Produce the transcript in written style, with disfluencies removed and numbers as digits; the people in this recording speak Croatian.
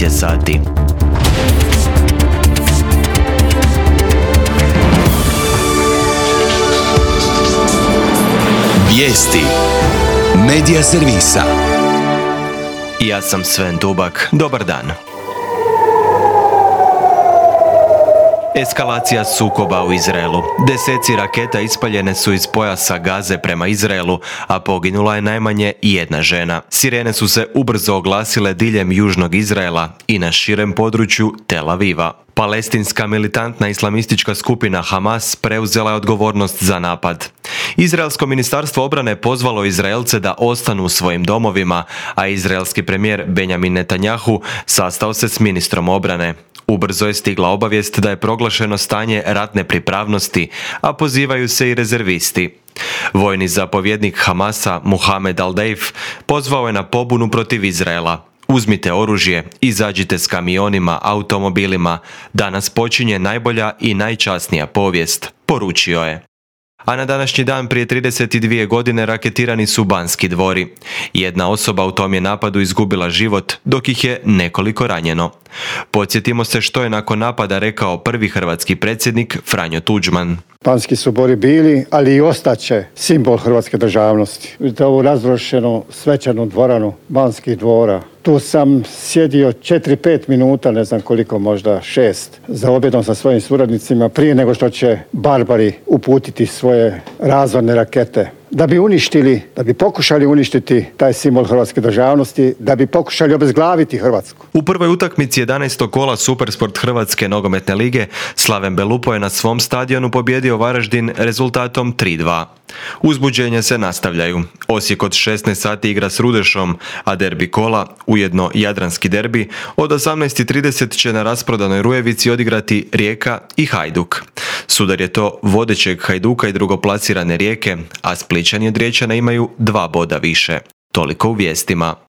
je sati. Vijesti Medija servisa. Ja sam Sven Dubak. Dobar dan. Eskalacija sukoba u Izraelu. Deseci raketa ispaljene su iz pojasa Gaze prema Izraelu, a poginula je najmanje jedna žena. Sirene su se ubrzo oglasile diljem južnog Izraela i na širem području Tel Aviva. Palestinska militantna islamistička skupina Hamas preuzela je odgovornost za napad. Izraelsko ministarstvo obrane pozvalo Izraelce da ostanu u svojim domovima, a izraelski premijer Benjamin Netanjahu sastao se s ministrom obrane. Ubrzo je stigla obavijest da je proglašeno stanje ratne pripravnosti, a pozivaju se i rezervisti. Vojni zapovjednik Hamasa Mohamed Al-Deif pozvao je na pobunu protiv Izraela. Uzmite oružje, izađite s kamionima, automobilima. Danas počinje najbolja i najčasnija povijest, poručio je. A na današnji dan prije 32 godine raketirani su Banski dvori. Jedna osoba u tom je napadu izgubila život, dok ih je nekoliko ranjeno. Podsjetimo se što je nakon napada rekao prvi hrvatski predsjednik Franjo Tuđman. Banski su dvori bili, ali i ostaće simbol hrvatske državnosti. Vidite ovu razrušenu svečanu dvoranu Banskih dvora. Tu sam sjedio 4-5 minuta, ne znam koliko, možda 6, za objedom sa svojim suradnicima prije nego što će barbari uputiti svoje razorne rakete. Da bi pokušali uništiti taj simbol hrvatske državnosti, da bi pokušali obezglaviti Hrvatsku. U prvoj utakmici 11. kola Supersport Hrvatske nogometne lige Slaven Belupo je na svom stadionu pobijedio Varaždin rezultatom 3:2. Uzbuđenja se nastavljaju. Osijek od 16 sati igra s Rudešom, a derbi kola, ujedno jadranski derbi, od 18:30 će na rasprodanoj Rujevici odigrati Rijeka i Hajduk. Sudar je to vodećeg Hajduka i drugoplasirane Rijeke, a Splićani od Riječana imaju 2 boda više. Toliko u vijestima.